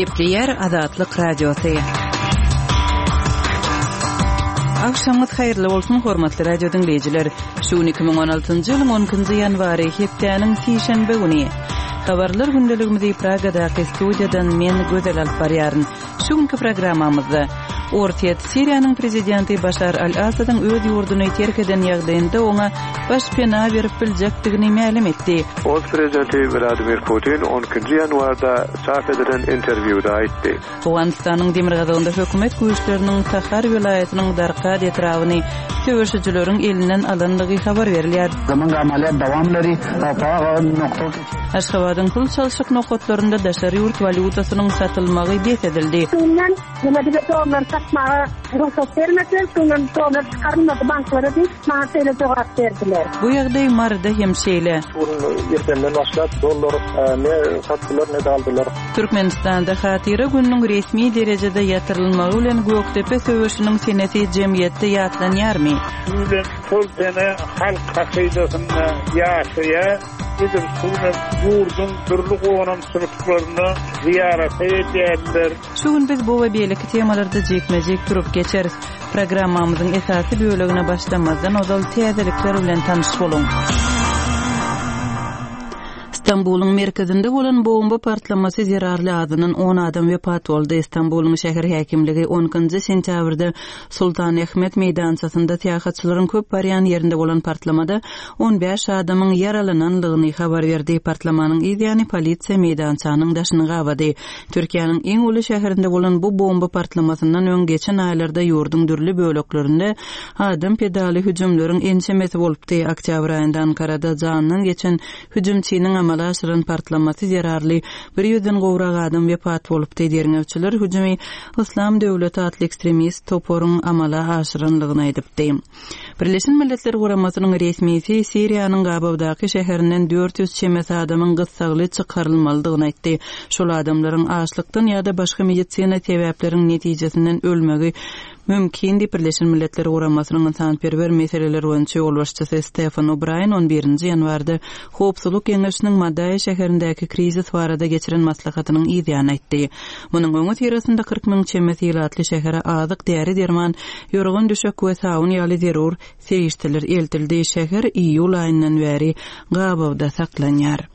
Gepleýär Azatlyk Radiosy. Agşamyňyz haýyrly bolsun, hormatly radio diňleýjiler. Şu gün 2016-njy ýylyň 12-nji ýanwary, hepdäniň sişenbe güni. Habarlar gündeligimizi Pragadaky studiýadan men Gözel alyp barýaryn. Şu günki programmamyzda Orsýet Siriýanyň prezidenti Başar al-Assadyň öz ýurduny terk eden ýagdaýynda oňa baş pena berip biljekdigini mälim etdi. Ors prezidenti Wladimir Putin on ikinji ýanwarda çap edilen interwýuda aýtdy. Owganystanyň demirgazygynda hökümet güýçleriniň Tahar welaýatynyň Darkad etrabyny söweşijileriň elinden alandygy habar berilýär. Aşgabadyň pul çalşyk nokatlarynda daşary ýurt walýutasynyň satylmagy bes edildi. Şundan neme bize dollar satmaga rugsat bermediler, şundan dollar çykarylmady banklara diýip, maňa şeýle jogap berdiler. Bu ýagdaý Maryda hem şeýle. Şu gün irdenden başlap dollar ne satdylar, ne-de aldylar. Türkmenistanda Hatyra gününiň resmi derejede ýatyrylmagy bilen Gökdepe söweşiniň senesi jemgyýetde ýatlanýarmy? Şu bilen şol sene halk hakydasynda ýaşaýar. Edil şu günem ýurduň dürli gonamçylyklaryna zyýarata gelýärler. Şu gün biz bu we beýleki temalarda jikme-jik durup geçeris. Programmamyzyň esasy bölegine başlamazdan ozal täzelikler bilen tanyş boluň. Stambulyň merkezinde bolan bomba partlamasy zerarly azyndan on adam wepat boldy. Stambulyň şäher häkimligi on ikinji sentýabrda Sultan Ahmet meýdançasynda syýahatçylaryň köp barýan ýerinde bolan partlamada 15 adamyň ýaralanandygyny habar berdi. Partlamanyň yz ýany polisiýa meýdançanyň daşyny gabady. Türkiýäniň iň uly şäherinde bolan bu bomba partlamasyndan öň geçen aýlarda ýurduň dürli böleklerinde adam pedaly hüjümleriň ençemesi bolupdy. Oktýabr aýynda Ankarada janyndan geçen hüjümçiniň amala aşyran partlamasy zerarly bir ýüzden gowrak adam wepat bolupdy. Derňewçiler hüjümi Yslam döwleti atly ekstremist toparyň amala aşyranlygyny aýdypdy. Birleşen Milletler Guramasynyň resmisi Siriýanyň gabawdaky şäherinden 400 çemesi adamyň gyssagly çykarylmalydygyny aýtdy. Şol adamlaryň açlykdan ýa-da başga medisina sebäpleriň netijesinden ölmegi mümkin diýip, Birleşen Milletler Guramasynyň ynsanperwer meseleler boýunça ýolbaşçysy Stefan O'Braýen on birinji ýanwarda Howpsuzlyk Geňeşiniň Madaýa şäherindäki krizis barada geçiren maslahatynyň yzýany aýtdy. Munuň öňüsyrasynda 40 müň çemesi ilatly şähere azyk, däri-derman, ýorgan-düşek we sabyn ýaly zerur serişdeler eltildi. Şäher iýul aýyndan bäri gabawda saklanýar.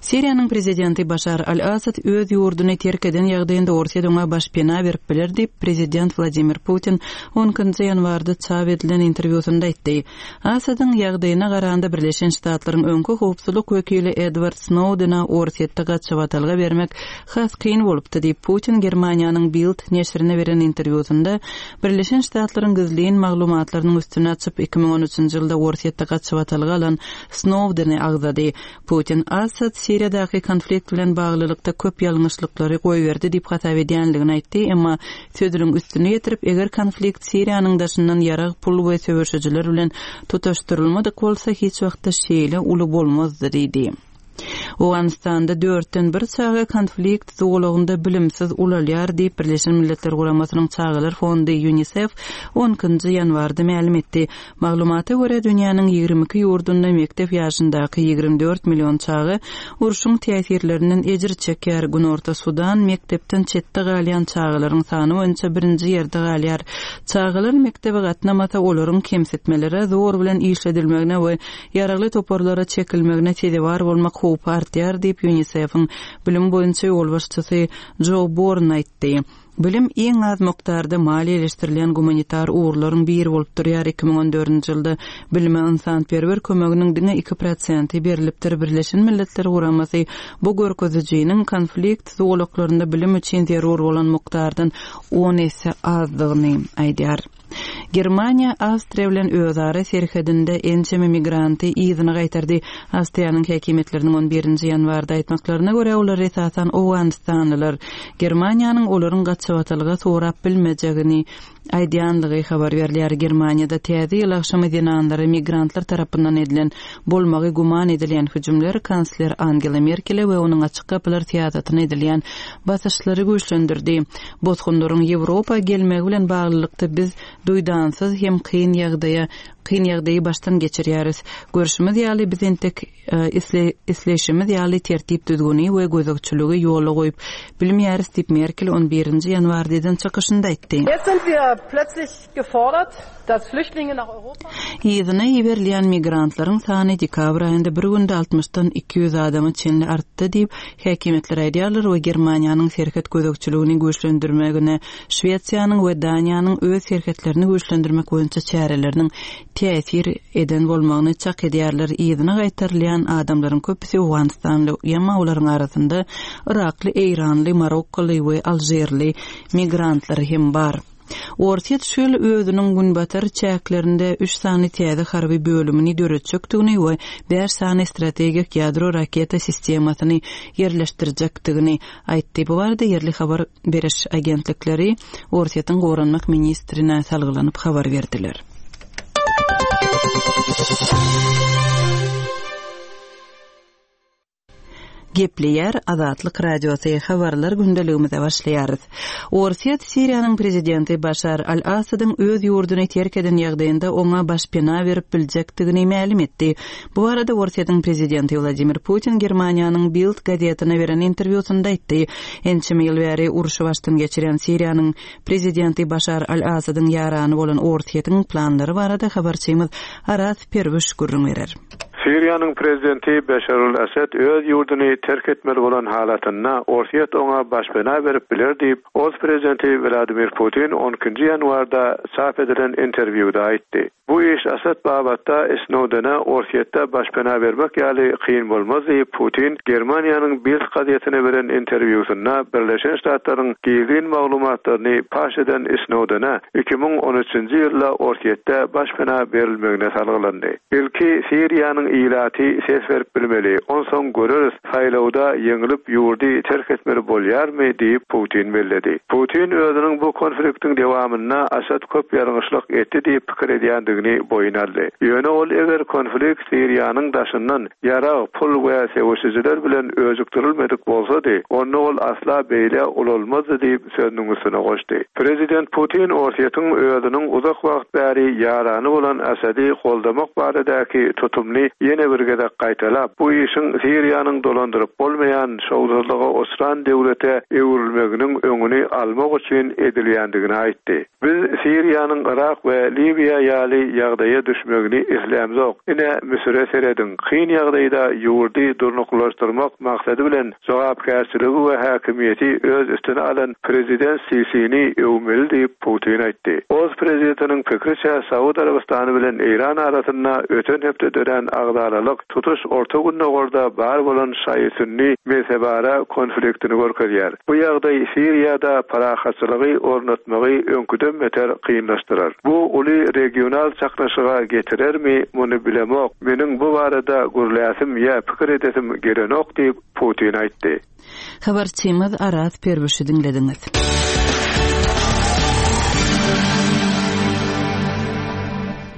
Siriýanyň prezidenti Başar al-Assad öz ýurduny terk eden ýagdaýynda Orsýet oňa başpena berip biler diýip, prezident Wladimir Putin on ikinji ýanwarda çap edilen interwýusynda aýtdy. Assadyň ýagdaýyna garanda Birleşen Ştatlaryň öňki howpsuzlyk wekili Edward Snowdena Orsýetde gaçybatalga bermek has kyn bolupdy diýip, Putin Germaniýanyň Bild neşirine beren interwýusynda Birleşen Ştatlaryň gizlin maglumatlarynyň üstüni açyp, 2013-nji ýylda Orsýetde gaçybatalga alan Snowdeni agzady. Putin Assad Siriýadaky konflikt bilen baglylykda köp ýalňyşlyklary goýberdi diýip hasap edýänligini aýtdy, emma sözüniň üstüni ýetirip, eger konflikt Siriýanyň daşyndan ýarag, pul we söweşijiler bilen tutaşdyrylmadyk bolsa, hiç wagtda şeýle uly bolmazdy diýdi. Owganystanda dörtden bir çaga konflikt zolagynda bilimsiz ulalýar diýip, Birleşen Milletler Guramasynyň Çagalar fondy, Ýunisef, on ikinji ýanwarda mälim etdi. Maglumata görä, dünýäniň 22 ýurdunda mekdep ýaşyndaky 24 million çaga urşuň täsirlerinden ejir çekýär. Günorta Sudan mekdepden çetde galýan çagalaryň sany boýunça birinji ýerde galýar. Çagalar mekdebe gatnamasa, olaryň kemsitmelere, zor bilen işledilmegine we ýaragly toparlara çekilmegine sezewar bolmak howpy artýar diýip, UNICEF-iň bilim boýunça ýolbaşçysy Jo Born aýtdy. Bilim iň az mukdarda maliýeleşdirilýän gumanitar ugurlaryň biri bolup durýar, 2014-nji ýylda bilime ynsanperwer kömeginiň diňe iki prosenti berlipdir. Birleşen Milletler Guramasy bu görkezijiniň konflikt zolaklarynda bilim üçin zerur bolan mukdardan on esse azdygyny aýdýar. Germaniýa Awstriýa bilen özara serhedinde ençeme migranty yzyna gaýtardy. Awstriýanyň häkimiýetleriniň on birinji ýanwarda aýtmaklaryna görä, olar esasan owganystanlylar. Germaniýanyň olaryň gaçybatalga sorap bilmejegini. aýdýanlygy habar berilýär. Germaniýada Täze ýyl agşamy zenanlara migrantlar tarapyndan edilen bolmagy güman edilýän hüjümler kansler Angela Merkele we onuň açyk gapylar syýasatyna edilýän basyşlary güýçlendirdi. Bosgunlaryň Ýewropa gelmegi bilen baglylykda biz duýdansyz hem kyn ýagdaýa kyn ýagdaýy başdan geçirýäris. Görşümiz ýaly, biz entek isleýşimiz ýaly tertip-düzgüni we gözegçiligi ýola goýup bilmeýäris diýip, Merkel on birinji ýanwarda eden çykyşynda aýtdy. Jetzt sind wir plötzlich gefordert, dass Flüchtlinge nach Europa. Yzyna iberilýän migrantlaryň sany dekabr aýynda bir günde altmyşdan 200 adama çenli artdy diýip, häkimiýetler aýdýarlar we Germaniýanyň serhet gözegçiligini güýçlendirmegine Şwesiýanyň we Daniýanyň öz serhetlerini güýçlendirmek boýunça çäreleriniň täsir eden bolmagyny çak edýärler. Yzyna gaýtarylýan adamlaryň köpüsi owganystanly, emma olaryň arasynda yrakly, eýranly, marokkoly we alžirli migrantlar hem bar. Orsýet şu ýyl özüniň günbatar çäklerinde üç sany täze harby bölümini döretjekdigini we bäş sany strategik ýadro raketa sistemasyny ýerleşdirjekdigini aýtdy. Bu barada ýerli habar beriş agentlikleri Orsýetiň goranmak ministrine salgylanyp habar berdiler. Gepleýär Azatlyk Radiosy, Habarlar gündeligimize başlaýarys. Orsýet Siriýanyň prezidenti Başar al-Assadyň öz ýurduny terk eden ýagdaýynda oňa başpena berip biljekdigini mälim etdi. Bu barada Orsýetiň prezidenti Wladimir Putin Germaniýanyň Bild gazetine beren interwýusynda aýtdy. Ençeme ýyl bäri urşy başdan geçirýän Siriýanyň prezidenti Başar al-Asadyň ýarany bolan Orsýetiň planlary barada habarçymyz Araz Perwiş gürrüň berer. Siriýanyň prezidenti Beşar al-Asad öz ýurduny terk etmeli bolan halatynda Orsýet oňa başpena berip biler diýip, ors prezidenti Wladimir Putin on ikinji ýanwarda çap edilen interwýuda aýtdy. Bu iş Asad babatda Snowdene Orsýetde başpena bermek ýaly kyn bolmaz diýip, Putin Germaniýanyň Bild gazetine beren interwýusynda Birleşen Ştatlaryň gizlin maglumatlaryny paş eden Snowdene 2013-nji ýylda Orsýetde başpena berilmegine salgylandy. Ilki Siriýanyň ilaty ses berip bilmeli, onsoň göreris, Saýlawda ýeňlip ýurdy terk etmeli bolýarmy diýip, Putin belledi. Putin özüniň bu konfliktiň dewamynda Asad köp ýalňyşlyk etdi diýip pikir edýändigini boýun aldy. Ýöne ol eger konflikt Siriýanyň daşyndan ýarag, pul we söweşijiler bilen öjükdirilmedik bolsady, onda ol asla beýle ulalmazdy diýip, sözüniň üstüne goşdy. Prezident Putin Orsýetiň özüniň uzak wagt bäri ýarany bolan Asady goldamak baradaky tutumyny ýene bir gezek gaýtalap, bu işiň Siriýanyň dolandyryp bolmaýan, şowsuzlyga uçran döwlete öwrülmeginiň öňüni almak üçin edilýändigini aýtdy. Biz Siriýanyň Yrak we Liwiýa ýaly ýagdaýa düşmegini islämzok. Ine, Müsüre serediň, kyn ýagdaýda ýurdy durnuklylaşdyrmak maksady bilen Jogapkärçiligi we häkimiýeti öz üstüne alan prezident Sisini öwmeli diýip, Putin aýtdy. Ors prezidentiniň pikriçe, Saud Arabystany bilen Eýran arasynda öten hepde dörän agzalalyk tutuş Orta Gündogarda bar bolan şaýy-sünni mezhebara konfliktini görkezýär. Bu ýagdaý Siriýada parahatçylygy ornatmagy öňküden beter kynlaşdyrar. Bu uly regional çaknyşyga getirermi, muny bilemok. Meniň bu barada gürläsim ýa pikir edesim gelenok diýip, Putin aýtdy. Habarçymyz Araz Perwişi diňlediňiz.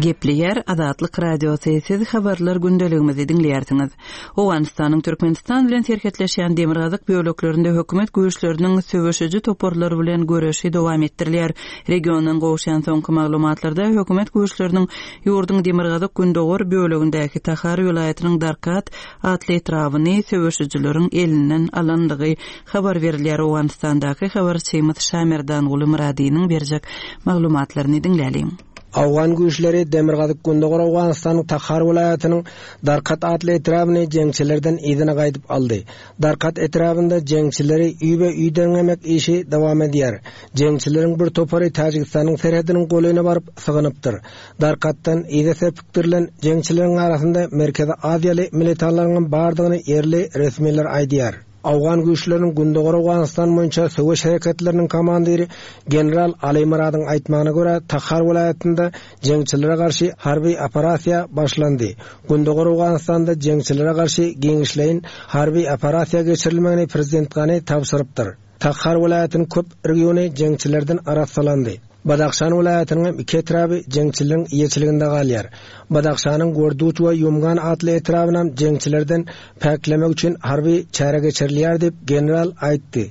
Gepleýär Azatlyk Radiosy, siz habarlar gündeligimizi diňleýärsiňiz. Owganystanyň Türkmenistan bilen serhetleşýän demirgazyk böleklerinde hökümet güýçleriniň söweşiji toparlar bilen göreşi dowam etdirilýär. Regiondan gowuşýan soňky maglumatlarda hökümet güýçleriniň Ýurduň demirgazyk-gündogar bölegindäki Tahar welaýatynyň Darkat atly etrabyny söweşijileriň elinden alandygy habar berilýär. Owganystandaky habarçymyz Şamerdanguly Myradynyň berjek maglumatlaryny diňläliň. Owgan güýçleri demirgazyk-gündogar Owganystanyň Tahar welaýatynyň Darkat atly etrabyny jeňçilerden yzyna gaýdyp aldy. Darkat etrabynda jeňçileri üýbe-üý derňemek işi dowam edýär. Jeňçileriň bir topary Täjigistanyň serhediniň golaýyna baryp sygynypdyr. Darkatdan yza serpikdirilen jeňçileriň arasynda Merkezi Aziýaly militanlaryňam bardygyny ýerli resmiler aýdýar. Owgan güýçleriniň Gündogar Owganystan boýunça söweş hereketleriniň komandiri general Aly Myradyň aýtmagyna görä, Tahar welaýatynda jeňçilere garşy harby operasiýa başlandy. Gündogar Owganystanda jeňçilere garşy giňişleýin harby operasiýa geçirilmegini prezident Gani tabşyrypdyr. Takhar welaýatynyň köp regiony jeňçilerden arassalandy. Badahşan welaýatynyň hem iki etraby jeňçileriň eýeçiliginde galýar. Badahşanyň Gorduç we Ýumgan atly etrabynam jeňçilerden päklemek üçin harby çäre geçirilýär diýip, general aýtdy.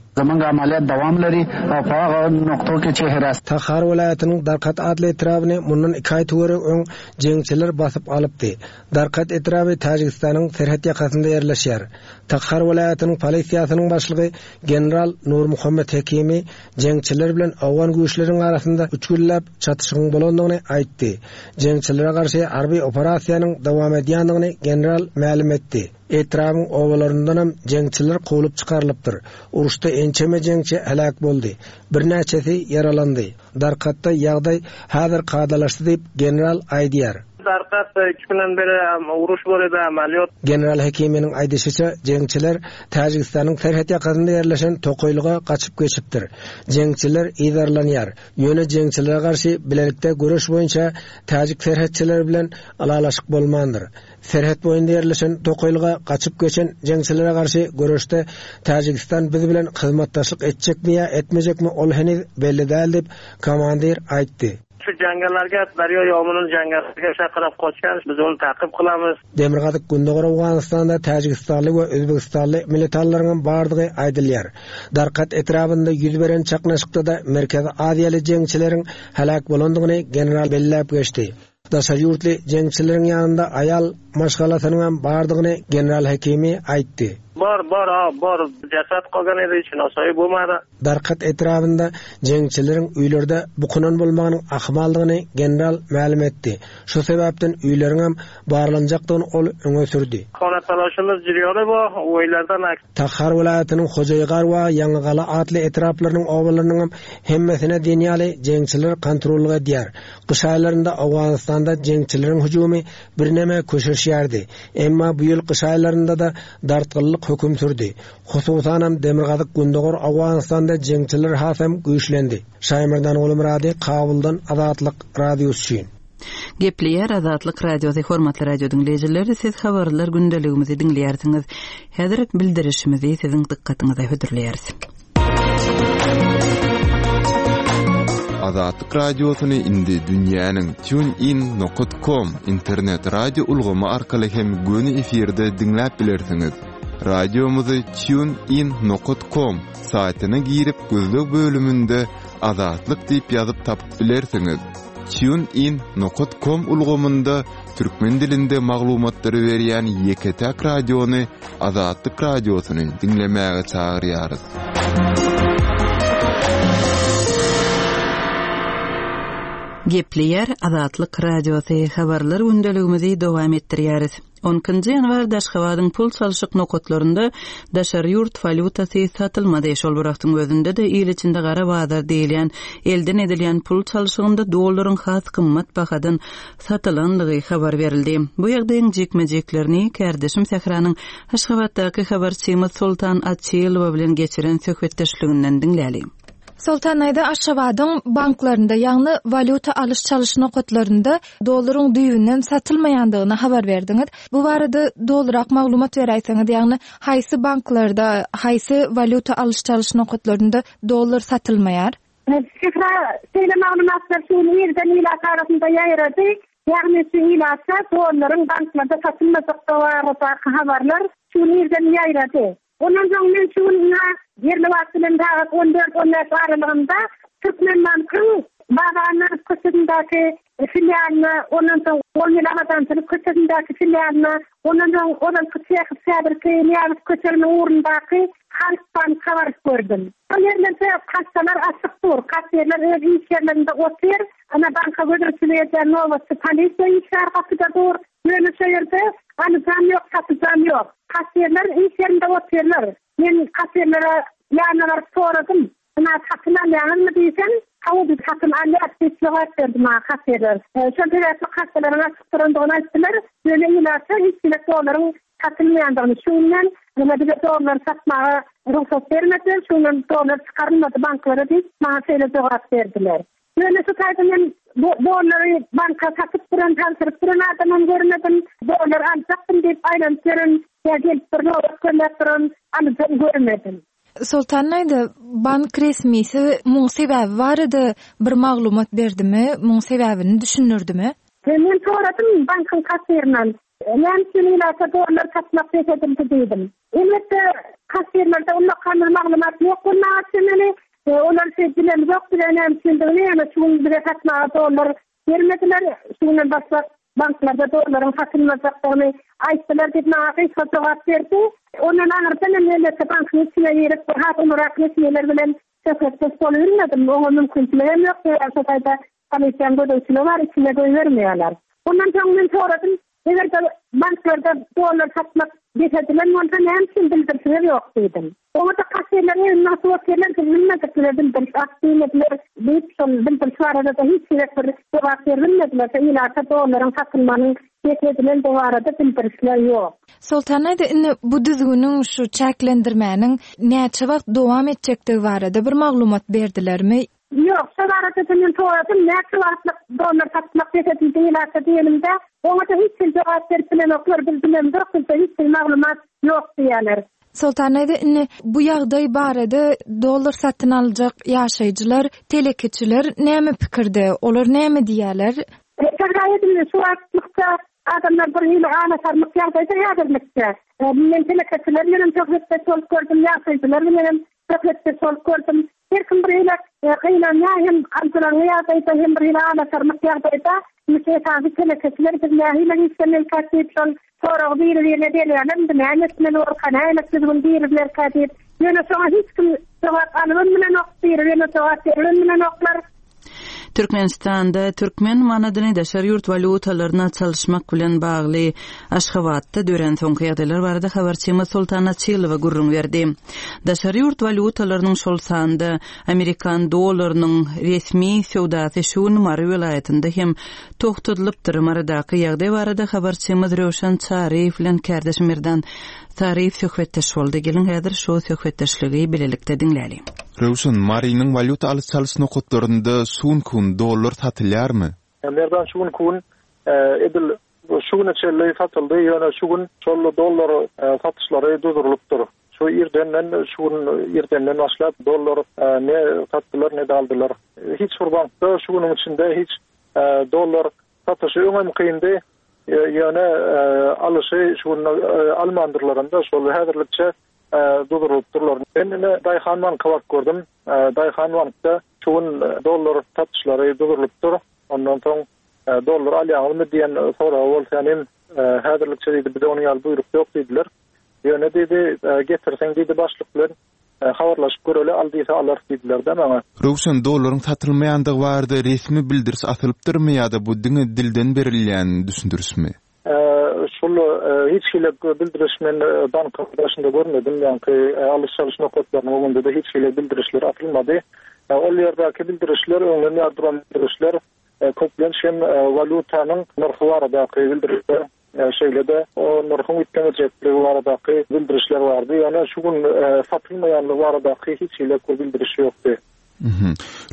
Tahar welaýatynyň Darkat atly etrabyny mundan iki aý töweregi öň jeňçiler basyp alypdy. Darkat etraby Täjigistanyň serhet ýakasynda ýerleşýär. Takhar welaýatynyň polisiýasynyň başlygy general Nurmuhammet Hekimi jeňçiler bilen owgan güýçleriniň arasynda üç günläp çatyşygyň bolandygyny aýtdy. Jeňçilere garşy harby operasiýanyň dowam edýändigini general mälim etdi. Etrabyň obalaryndanam jeňçiler kowlup çykarylypdyr. Uruşda ençeme jeňçi heläk boldy. Birnäçesi ýaralandy. Darkatda ýagdaý häzir kadalaşdy diýip, general aýdýar. Darkatda üç günden beri uruş bolýar, amalýot. General Hekiminiň aýdyşyça, jeňçiler Täjigistanyň serhet ýakasynda ýerleşen tokaýlyga gaçyp geçipdir. Jeňçiler yzarlanýar. Ýöne jeňçilere garşy bilelikde göreş boýunça täjik serhetçileri bilen ylalaşyk bolmandyr. Serhet boýunda ýerleşen tokaýlyga gaçyp geçen jeňçilere garşy göreşde Täjigistan biz bilen hyzmatdaşlyk etjekmi ýa etmejekmi ol heniz belli däl diýip, komandir aýtdy. Şu jangalarga daryo ýomynyň jangalarga şakyrap goçýan biz ony takyp kylamyz. Demirgazyk Gündogar Owganystanda täjigistanly we özbegistanly militanlaryňam bardygy aýdylýar. Darkat etrabynda ýüz beren çaknyşykda-da merkezi aziýaly jeňçileriň heläk bolandygyny general belläp geçdi. Daşary ýurtly jeňçileriň ýanynda aýal maşgalasynyňam bardygyny general Hekimi aýtdy. Bor, bor, a, bor. Jasad goýgan edi, şunosoýy bolmady. Darkat etrabynda jeňçileriň öýlerde bukunan bolmagynyň ahmaldygyny general mälim etdi. Şu sebäpden öýleriňem barlanjakdygyny ol öňe sürdi. Hona talaşymyz jürýony bo, öýlerden ak. Tahar welaýatynyň Hojaýgar we Ýaňygala atly etraplarynyň obalarynyňam hemmesine diýen ýaly jeňçiler kontrollyk edýär. Gyş aýlarynda Owganystanda jeňçileriň hüjümi birneme köşeşýärdi. Emma bu ýyl gyş aýlarynda-da dartgynlyk höküm sürdi. Hususanam demirgazyk-gündogar Owganystanda jeňçiler hasam güýçlendi. Şaýmerdan Gulumyrady, Kabuldan Azatlyk Radiosy üçin. Gepleýär Azatlyk Radiosy Hormatly radio diňleýjiler, siz habarlar gündeligimizi diňleýärsiňiz. Häzir bildirişimizi siziň dykgatyňyza hödürleýäris. Azatlyk Radiosyny indi dünýäniň TuneIn nokat com internet radio ulgamy arkaly hem göni efirde diňläp bilersiňiz. Radiomyzy TuneIn nokat com saýtyna girip gözleg bölüminde Azatlyk diýip ýazyp tapyp bilersiňiz. TuneIn nokat com ulgamynda türkmen dilinde maglumatlary berýän ýeke-täk radiony Azatlyk Radiosyny diňlemäge çagyrýarys. Gepleýär Azatlyk Radiosy, Habarlar gündeligimizi dowam etdirýäris. On ikinji ýanwarda Aşgabadyň pul çalşyk nokatlarynda daşary ýurt walýutasy satylmady. Şol bir wagtyň özünde-de il içinde gara bazar diýilýän elden edilýän pul çalşygynda dollaryň has gymmat bahadan satylandygy habar berildi. Bu ýagdaýyň jikme-jiklerini kärdeşim Sähranyň Aşgabatdaky habarçymyz Soltan Açylowa bilen geçiren söhbetdeşliginden diňläliň. Soltan aýda Aşgabadyň banklarynda, ýagny walýuta alyş-çalyş nokatlarynda dollaryň düýbünden satylmaýandygyny habar berdiňiz. Bu barada dolurak maglumat beräýseňiz, ýagny haýsy banklarda, haýsy walýuta alyş-çalyş nokatlarynda dollar satylmaýar? Şyhra şeýle maglumatlar şu gün irden ilat arasynda ýaýrady. Ýagny şu ilata dollaryň banklarda satylmajakdygy baradaky habarlar şu gün irden ýaýrady. Ondan soň men şu gün ynha ýerli wagt bilen sagat on dört, on bäş aralygynda Türkmenbankyň Baba Annanow köçesindäki filialyna, ondan soň On ýyl Abadançylyk köçesindäki filialyna, ondan soň ozalky Çehow häzirki Nyýazow köçesiniň ugrundaky Halk banka baryp gördüm. Şol ýerlerde kassalar açyk dur, kassirler öz iş ýerlerinde otyr, ana banka gözegçilik edýän nobatçy polisiýa işgäri gapyda dur. Ýöne şo ýerde alyjam ýok, satyjam ýok. Kassirler iş ýerinde otyrlar. Men kassirlere ýanyna baryp soradym. Ynha, satyn alýaňyzmy diýsem, Hawa, biz satyn alýas diýip jogap berdi maňa kassirler. Şol sebäpli kassalaryň açyk durandygyny aýtdylar. Ýöne ilata hiç hili dollaryň satylmaýandygyny, şu günden ynha bize dollar satmaga rugsat bermediler, şu günden dollar çykarylmady banklara diýip, maňa şeýle jogap berdiler. Ýöne şu taýda men dollary banka satyp duran, tabşyryp duran adamam görmedim. Dollar aljakdym diýip aýlanyp ýören ýa gelip bir nobat gözläp duran alyjam görmedim. Soltan aýda, bank resmisi muň sebäbi barada bir maglumat berdimi, muň sebäbini düşündirdimi? Men soradym bankyň kassirinden, näme üçin ilata dollar satmak bes edildi diýdim. Elbetde, kassirlerde ullakan bir maglumat ýok bolmaga çemeli. Olar şeý bilemzok bize näme üçindigini, ýöne şu gün bize satmaga dollar Bermediler, şu günden başlap banklarda dollaryň satylmajakdygyny aýtdylar diýip, maňa gysga jogap berdi. Ondan aňyrda men elbetde bankyň içine girip, has ulurak resmiler bilen söhbetdeş bolubilmedim. Oňa mümkinçilik hem ýok, sebäbi şo taýda polisiýanyň gözegçiligi bar, içine goýbermeýärler. Ondan soň men soradym, Eger-de banklarda dollar satmak bes edilen bolsa, näme üçin bildirişiňiz ýok diýdim. Oňa-da kassirler egnine atyp otyrlar, biz bilmedik, bize bildiriş at diýmediler diýip, şol bildiriş barada-da hiç gezek bir jogap beribilmediler. Şo ilata dollaryň satylmagynyň bes edilendigi barada bildirişler ýok. Soltan aýda, indi bu düzgüniň, şu çäklendirmäniň näçe wagt dowam etjekdigi barada bir maglumat berdilermi? Ýok, şo barada-da men soradym, näçe wagtlyk dollar satmak bes edildi ilata diýenimde, oňa-da hiç hili jogap berip bilenoklar, biz bilemzok, bizde hiç hili maglumat ýok diýýärler. Soltan daýza, indi bu ýagdaý barada dollar satyn aljak ýaşaýjylar, telekeçiler näme pikirde, olar näme diýýärler? Söwda edildi, şu wagtlykça adamlar bir hili alasarmyk ýagdaýda häzirlikçe. Men telekeçiler bilenem söhbetdeş bolup gördüm, ýaşaýjylar bilenem söhbetdeş bolup gördüm. Her kim bir hili gynanýar, hem aljyraňňy ýagdaýda, hem bir hili alasarmyk ýagdaýda. Indi esasy telekeçiler biz nähili işlemelikäk diýip şol soragy biri-birine berýärler, indi näme etmeli borka, nähili düzgün girizilerkä diýip. Ýöne şoňa hiç kim jogap alybam bilenok, biri-birine jogap beribem bilenoklar. Türkmenistanda türkmen manadyny daşary ýurt walýutalaryna çalyşmak bilen bagly Aşgabatda dörän soňky ýagdaýlar barada habarçymyz Soltan Açylowa gürrüň berdi. Daşary ýurt walýutalarynyň, şol sanda amerikan dollarynyň resmi söwdasy şu gün Mary welaýatynda hem togtadylypdyr. Marydaky ýagdaý barada habarçymyz Röwşen Çaryýew bilen kärdeşim Merdan Saryýew söhbetdeş boldy. Geliň häzir şu söhbetdeşligi bilelikde diňläliň. Röwşen, Marynyň walýuta alyş-çalyş nokatlarynda şu günki gün dollar satylýarmy? Merdan şu günki gün edil şu güne çenli satyldy, ýöne şu gün şol dollar satyşlary durdurylypdyr. Şu irdenden, şu gün irdenden başlap dollar ne satdylar, ne-de aldylar. Hiç bir bankda şu günüň içinde hiç dollar satyşy öňem kyndy, ýöne alyşy şu gün almandyrlaram-da, şol häzirlikçe durdurylypdyrlar. Men ine Daýhan banka baryp gördüm. Daýhan bankda şu gün dollar satyşlary durdurylypdyr. Ondan soň dollar alýaňyzmy diýen soraga bolsa ýanym häzirlikçe diýdi bize onuň ýaly buýruk ýok diýdiler. Ýöne diýdi getirseň diýdi başlyk bilen habarlaşyp göreli al diýse alarys diýdiler-de maňa. Röwşen dollaryň satylmaýandygy barada resmi bildiriş asylypdyrmy ýa-da bu diňe dilden berilýän düşündirişmi? Şul hiç hili bildiriş men bankyň daşynda görmedim, ýaňky alyş-çalyş nokatlarynyň öňünde-de hiç hili bildirişler asylmady. Ol ýerdäki bildirişler öňden bäri duran bildirişler, köplenç hem walýutanyň nyrhy baradaky bildirişler, şeýle-de o nyrhyň üýtgemejekligi baradaky bildirişler bardy. Ýöne şu gün satylmaýanlygy baradaky hiç hili bir bildiriş ýokdy.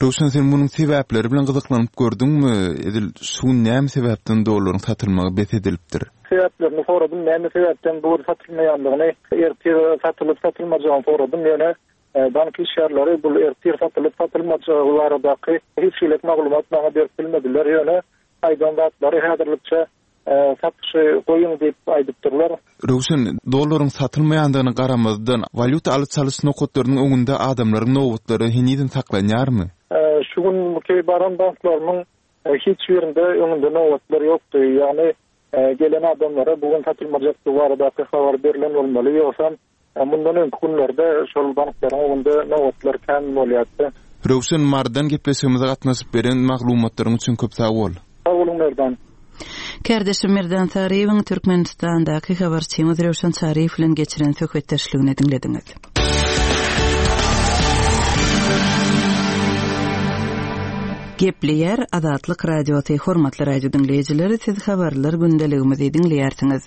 Röwşen sen munuň sebäpleri bilen gyzyklanyp gördüňmi? Edil şu gün näme sebäpden dollaryň satylmagy bes edilipdir? Sebäplerini soradym, näme sebäpden bu gün satylmaýandygyny, ertir satylyp satylmajagyny soradym, ýöne bank işgärleri bul ertir satylyp satylmajagy baradaky hiç hili maglumat maňa berip bilmediler, ýöne aýdan zatlary häzirlikçe Satyşy goýuň diýip aýdypdyrlar. Röwşen, dollaryň satylmaýandygyna garamazdan, walýuta alyş-çalyş nokatlarynyň öňünde adamlaryň nobatlary henizem saklanýarmy? Şu günki baran banklarymyň hiç birinde öňünde nobatlar ýokdy. Ýagny gelen adamlara bu gün satylmajakdygy baradaky habar berlen bolmaly. Ýogsam mundan öňki günlerde şol banklaryň öňünde nobatlar kän bolýardy. Röwşen, Marydan gepleşigimize gatnaşyp beren maglumatlaryň üçin köp sag bol. Sag boluň Merdan. Kärdeşim Merdan Saryýewiň Türkmenistandaky habarçymyz Röwşen Çaryýew bilen geçiren söhbetdeşligini diňlediňiz. Gepleýär Azatlyk Radiosy, Hormatly radio diňleýjiler, siz habarlar gündeligimizi diňleýärsiňiz.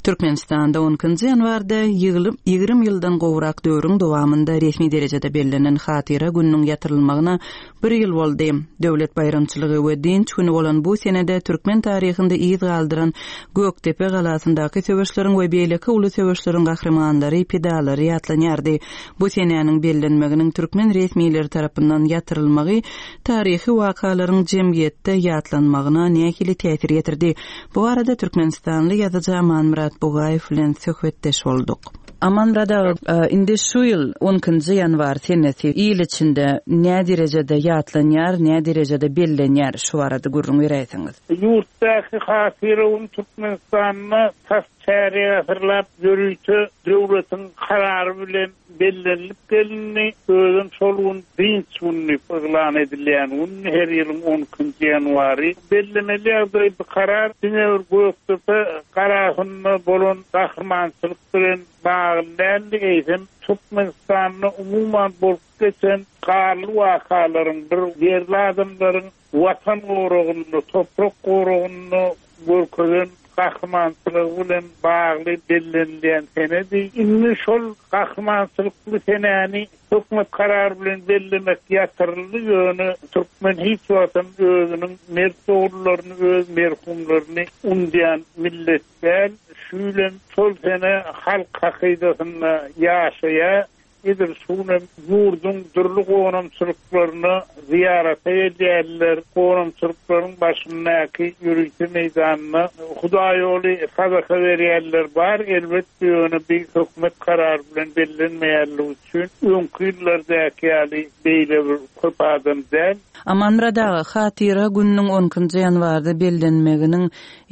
Türkmenistanda on ikinji ýanwarda 20 ýyldan gowrak döwrüň dowamynda resmi derejede bellenen Hatyra gününiň ýatyrylmagyna bir ýyl boldy. Döwlet baýramçylygy we dynç güni bolan bu senede türkmen taryhynda yz galdyran Gökdepe galasyndaky söweşleriň we beýleki uly söweşleriň gahrymanlary, pidalary ýatlanýardy. Bu senäniň bellenmeginiň türkmen resmileri tarapyndan ýatyrylmagy taryhy wakalaryň jemgyýetde ýatlanmagyna nähili täsir ýetirdi? Bu barada türkmenistanly ýazyjy Amanmyrat Bugaýew bilen söhbetdeş bolduk. Amanmyrat aga, indi şu ýyl on ikinji ýanwar senesi il içinde näderejede ýatlanýar, näderejede bellenýär, şu barada gürrüň beräýseňiz? Ýurtdaky Hatyra güni Türkmenistanda tas Çärýek asyrlap ýörite döwletiň karary bilen bellenilip gelindi. Özem şol gün dynç güni diýip yglan edilýän gün, her ýylyň on ikinji ýanwary. Bellemeli ýagdaý, bu karar diňe bir Gökdepe galasynda bolan gahrymançylyk bilen bagly däldi, eýsem, Türkmenistanda umuman bolup geçen ganly wakalaryň, bir ýerli adamlaryň Watan goragynda, toprak goragynda görkezen gahrymançylygy bilen bagly bellenilýän senedi. Indi şol gahrymançylykly senäni hökümet karary bilen bellemek ýatyryldy, ýöne türkmen hiç wagtam özüniň mert ogullaryny, öz merhumlaryny unudýan millet däl. Şu ýyl hem şol sene halk hakydasynda ýaşaýar. Edil şu günem ýurduň dürli gonamçylyklaryna zyýarata gelýärler. Gonamçylyklaryň başyndaky ýörite meýdanda hudaýýoly sadaka berýänler bar, elbetde, ýöne bi hökümet karary bilen bellenmeýänligi üçin öňki ýyllardaky ýaly beýle bir köp adam däl. Amanmyrat aga, Hatyra gününiň on ikinji ýanwarda bellenmeginiň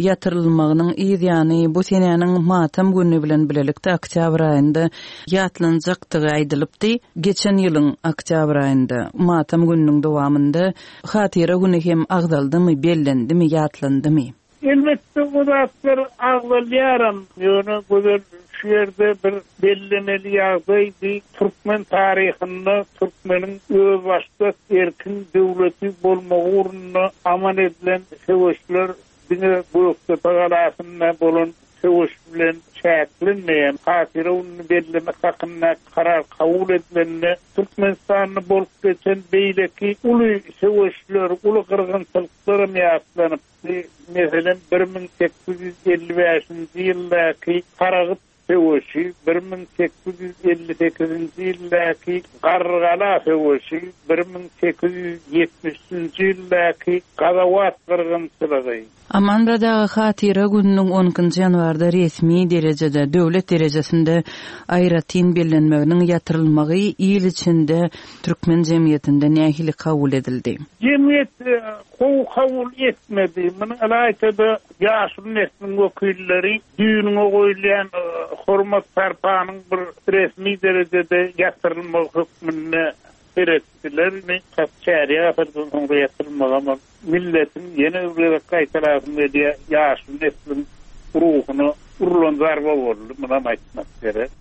ýatyrylmagynyň yz ýany bu senäniň matam güni bilen bilelikde oktýabr aýynda ýatlanjakdygy aýdylypdy. Geçen ýylyň oktýabr aýynda matam gününiň dowamynda Hatyra güni hem agzaldymy, bellendimi, ýatlandymy? Elbetde o zatlar agzalýaram, ýöne Gözel şu ýerde bir bellemeli ýagdaý bi türkmen taryhynda türkmeniň özbaşdak erkin döwleti bolmagy ugrunda amal edilen söweşler diňe Gökdepe galasynda bolan söweş bilen çäklenmeýär. Hatyra gününi bellemek hakynda karar kabul edilende, Türkmenistanda bolup geçen beýleki uly söweşler, uly gyrgynçylyklaram ýatlanypdy. Meselem, 1855-nji ýyldaky Saragyt söweşi, 1858-nji ýyldaky Garrygala söweşi, 1873-nji ýyldaky Gazawat gyrgynçylygy. Amanmyrat aga Hatyra gününiň on ikinji ýanwarda resmi derejede, döwlet derejesinde aýratyn bellenmeginiň ýatyrylmagy il içinde, türkmen jemgyýetinde nähili kabul edildi? Jemgyýet gowy kabul etmedi. Muny ylaýta-da ýaşuly nesliň wekilleri Düýnüňe goýulýan hormat-sarpanyň bir resmi derejede ýatyrylmagy hökmünde seretdiler. Indi tas çärýek asyrdan soňra ýatyrylmagam ol milletiň, ýene bir gezek gaýtalasym gelýär, ýaşuly nesliň ruhuna urlan zarba boldy, munam aýtmak gerek.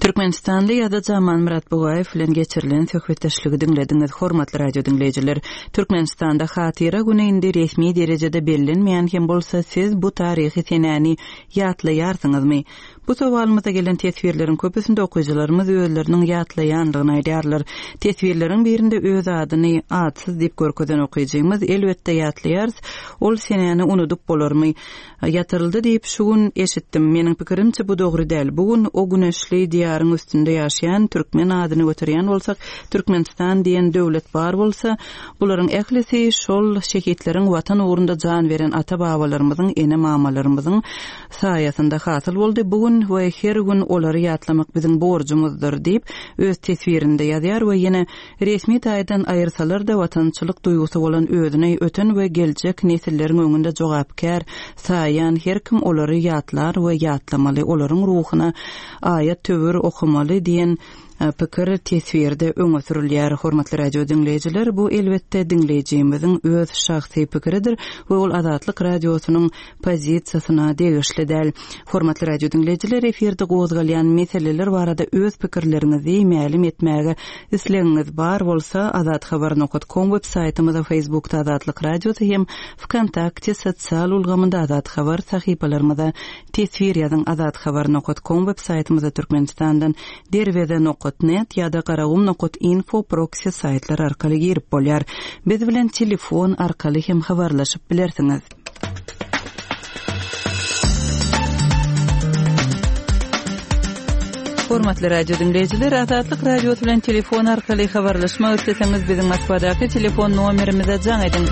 Türkmenistanly ýazyjy Amanmyrat Bugaýew bilen geçirilen söhbetdeşligi diňlediňiz. Hormatly radio diňleýjiler, Türkmenistanda Hatyra güni indi resmi derejede bellenmeýän hem bolsa, siz bu taryhy senäni ýatlaýarsyňyzmy? Bu sowalymyza gelen teswirleriň köpüsinde okyjylarymyz özleriniň ýatlaýanlygyny aýdýarlar. Teswirleriň birinde öz adyny atsyz diýip görkezen okyjymyz, Elbetde ýatlaýarys, ol senäni unudyp bolarmy? Ýatyryldy diýip şu gün eşitdim. Meniň pikirimçe bu dogry däl. Bu gün o güneşli diýaryň üstünde ýaşaýan türkmen adyny göterýän bolsak, Türkmenistan diýen döwlet bar bolsa, bularyň ählisi şol şehitleriň watan ugrunda jan beren ata-babalarymyzyň, ene-mamalarymyzyň saýasynda hasyl boldy. Bu gün we her gün olary ýatlamak biziň borjumyzdyr diýip, öz teswirinde ýazýar we ýene Resmi taýdan aýyrsalar-da, watançylyk duýgusy bolan özüni öten we geljek nesilleriň öňünde jogapkär saýýan her kim olary ýatlar we ýatlamaly, olaryň ruhuna aýat-töwir. mejbur okamaly diýen pikir teswirde öňe sürülýär. Hormatly radio diňleýjiler, bu elbetde diňleýjimiziň öz şahsy pikiridir we ol Azatlyk Radiosynyň pozisiýasyna degişli däl. Hormatly radio diňleýjiler, efirde gozgalýan meseleler barada öz pikirleriňizi mälim etmäge islegiňiz bar bolsa, azathabar nokat kom web saýtymyza, Facebookda Azatlyk Radiosy hem Wkontakte sosial ulgamynda Azat Habar sahypalarymyza teswir ýazyň Azathabar nokat kom web saýtymyza Türkmenistandan Derweze nokat net ýa-da Garagum nokat info proksi saýtlary arkaly girip bolýar. Biz bilen telefon arkaly hem habarlaşyp bilersiňiz. Hormatly radio diňleýjiler, Azatlyk Radiosy bilen telefon arkaly habarlaşmak isleseňiz, biziň Moskwadaky telefon nomerimize jaň ediň.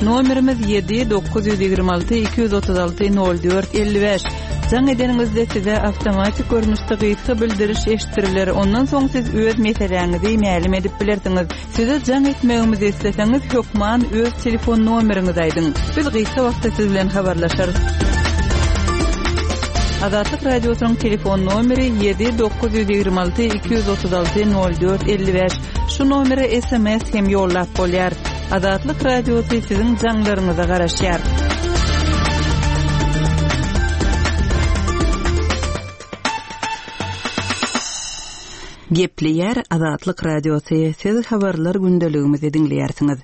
Nomerimiz 7 926 236 04 55. Jaň edeniňizde size awtomatik görnüşde gysga bildiriş eşitdiriler, ondan soň siz öz meseläňizi mälim edip bilersiňiz. Size jaň etmegimizi isleseňiz, hökman öz telefon nomeriňizi aýdyň. Biz gysga wagtda siz bilen habarlaşarys. Azatlyk Radiosynyň telefon nomeri 7 926 236 04 55. Şu nomere sms hem ýollap bolýar. Azatlyk Radiosy siziň jaňlaryňyza garaşýar. Gepleýär Azatlyk Radiosy, siz habarlar gündeligimizi diňleýärsiňiz.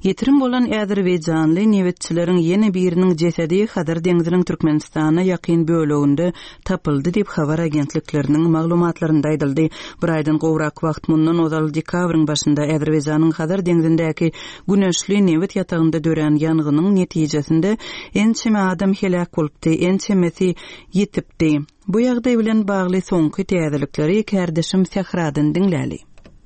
Ýitirim bolan azerbaýjanly nebitçileriň ýene biriniň jesedi Hazar deňziniň Türkmenistana ýakyn böleginde tapyldy diýip, habar agentlikleriniň maglumatlarynda aýdyldy. Bir aýdan gowrak wagt mundan ozal dekabryň başynda Azerbaýjanyň Hazar deňzindäki Güneşli nebit ýatagynda dörän ýangynyň netijesinde ençeme adam heläk bolupdy, ençemesi ýitipdi. Bu ýagdaý bilen bagly soňky täzelikleri kärdeşim Sähradan diňläli.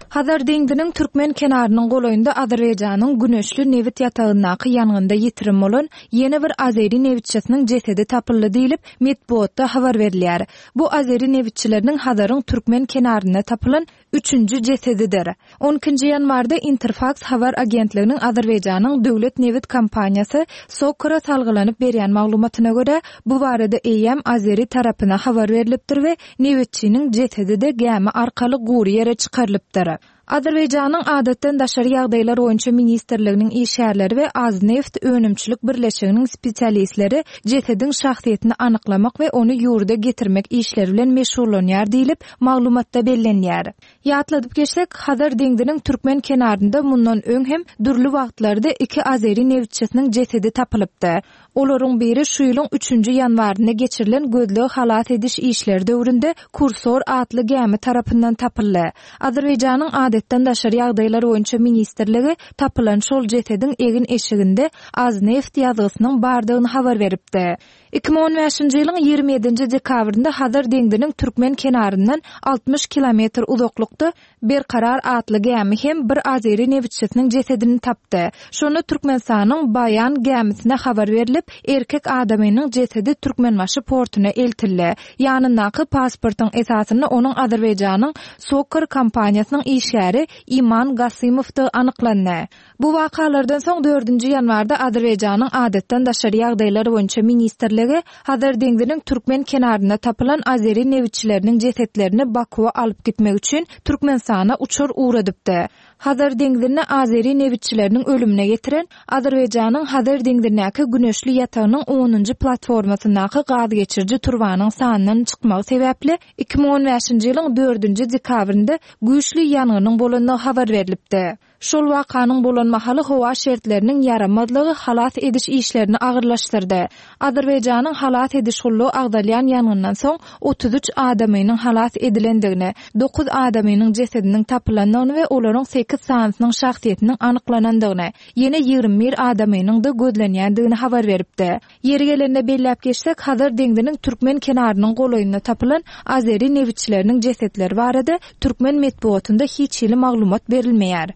Hazar deňziniň türkmen kenarynyň golaýynda Azerbaýjanyň Güneşli nebit ýatagyndaky ýangynda ýitirim bolan ýene bir azeri nebitçisiniň jesedi tapyldy diýlip, metbugatda habar berilýär. Bu azeri nebitçileriniň Hazaryň türkmen kenarynda tapylan üçünji jesedidir. On ikinji ýanwarda Interfaks habar agentliginiň Azerbaýjanyň döwlet nebit kompaniýasy SOCAR-a salgylanyp berýän maglumatyna görä, bu barada eýýäm azeri tarapyna habar berlipdir we nebitçiniň jesedi-de gämi arkaly gury ýere çykarylypdyr. Azerbaýjanyň Adatdan daşary ýagdaýlar boýunça ministrliginiň işgärleri we Azneft önümçilik birleşiginiň spesialistleri jesediň şahsyýetini anyklamak we ony ýurda getirmek işleri bilen meşgullanýar diýlip, Maglumatda bellenýär. Ýatladyp geçsek, Hazar deňziniň türkmen kenarynda mundan öň hem dürli wagtlarda iki azeri nebitçisiniň jesedi tapylypdy. Olaryň biri şu ýylyň üçünji ýanwarynda geçirilen gözleg-halas ediş işleri döwründe Kursor atly gämi tarapyndan tapyldy. Azerbaýjanyň Adatdan daşary ýagdaýlar boýunça ministrligi tapylan şol jesediň egin-eşiginde Azneft ýazgysynyň bardygyny habar beripdi. 2015-nji ýylyň 27-nji dekabrynda Hazar deňziniň türkmen kenaryndan 60 kilometr uzaklykda Berkarar atly gämi hem bir azeri nebitçisiniň jesedini tapdy. Şonda Türkmenistanyň Baýan gämisine habar berlip, erkek adamynyň jesedi Türkmenbaşy portuna eltildi. Ýanyndaky pasportyň esasynda onuň Azerbaýjanyň SOCAR kompaniýasynyň işgäri Iman Gasymowdygy anyklandy. Bu wakalardan soň dördünji ýanwarda Azerbaýjanyň Adatdan daşary ýagdaýlar boýunça ministrligi Hazar deňziniň türkmen kenarynda tapylan azeri nebitçileriniň jesetlerini Bakuwa alyp gitmek üçin Türkmenistana uçar ugradypdy. Hazar deňzinde azeri nebitçileriniň ölümine getiren Azerbaýjanyň Hazar deňzindäki Güneşli ýatagynyň onunjy platformasyndaky gazgeçiriji turbanyň sandan çykmagy sebäpli 2015-nji ýylyň dördünji dekabrynda güýçli ýangynyň bolandygy habar berlipdi. Şol wakanyň bolan mahaly howa şertleriniň ýaramazlygy halas ediş işlerini agyrlaşdyrdy. Azerbaýjanyň halas ediş gullugy agzalýan ýangyndan soň 33 adamynyň halas edilendigini, dokuz adamynyň jesediniň tapylandygyny we olaryň sekiz sanysynyň şahsyýetiniň anyklanandygyny, ýene 21 adamynyň-da gözlenýändigini habar beripdi. Ýeri gelende belläp geçsek, Hazar deňziniň türkmen kenarynyň golaýynda tapylan azeri nebitçileriniň jesetleri barada türkmen metbugatynda hiç hili maglumat berilmeýär.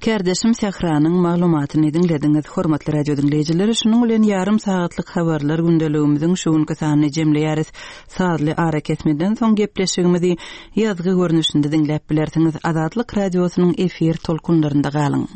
Kärdeşim Sähranyň maglumatyny diňlediňiz. Hormatly radio diňleýjiler, şunuň bilen ýarym sagatlyk habarlar gündeligimiziň şu günki sanyny jemleýäris. Sazly arakesmeden soň gepleşigimizi ýazgy görnüşinde diňläp bilersiňiz. Azatlyk Radiosynyň efir tolkunlarynda galyň.